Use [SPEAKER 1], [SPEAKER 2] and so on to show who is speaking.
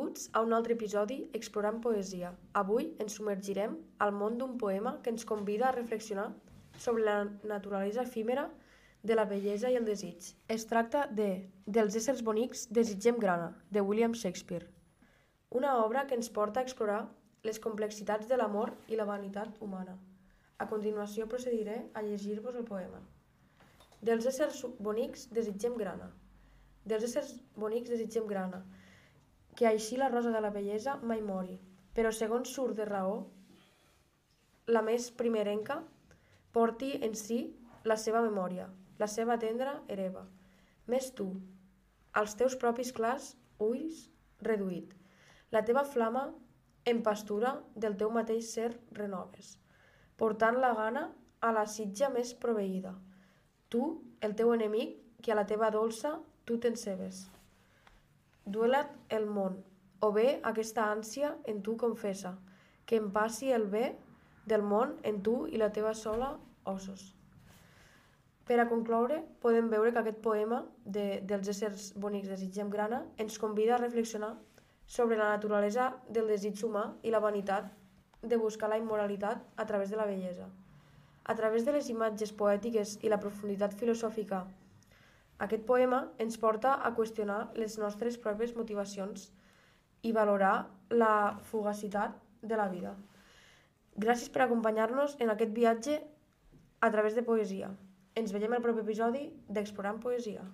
[SPEAKER 1] Benvinguts a un altre episodi Explorant Poesia. Avui ens submergirem al món d'un poema que ens convida a reflexionar sobre la naturalesa efímera de la bellesa i el desig. Es tracta de Dels éssers bonics desitgem grana, de William Shakespeare. Una obra que ens porta a explorar les complexitats de l'amor i la vanitat humana. A continuació procediré a llegir-vos el poema. Dels éssers bonics desitgem grana. Dels éssers bonics desitgem grana, que així la rosa de la bellesa mai mori, però segons surt de raó, la més primerenca porti en si la seva memòria, la seva tendra hereva. Més tu, als teus propis clars ulls reduït, la teva flama en pastura del teu mateix ser renoves, portant la gana a la sitja més proveïda. Tu, el teu enemic, que a la teva dolça tu t'encebes. Duela't el món, o bé aquesta ànsia en tu confessa, que em passi el bé del món en tu i la teva sola ossos. Per a concloure, podem veure que aquest poema dels éssers bonics desitgem grana ens convida a reflexionar sobre la naturalesa del desig humà i la vanitat de buscar la immoralitat a través de la bellesa. A través de les imatges poètiques i la profunditat filosòfica, aquest poema ens porta a qüestionar les nostres pròpies motivacions i valorar la fugacitat de la vida. Gràcies per acompanyar-nos en aquest viatge a través de poesia. Ens veiem al proper episodi d'Explorant Poesia.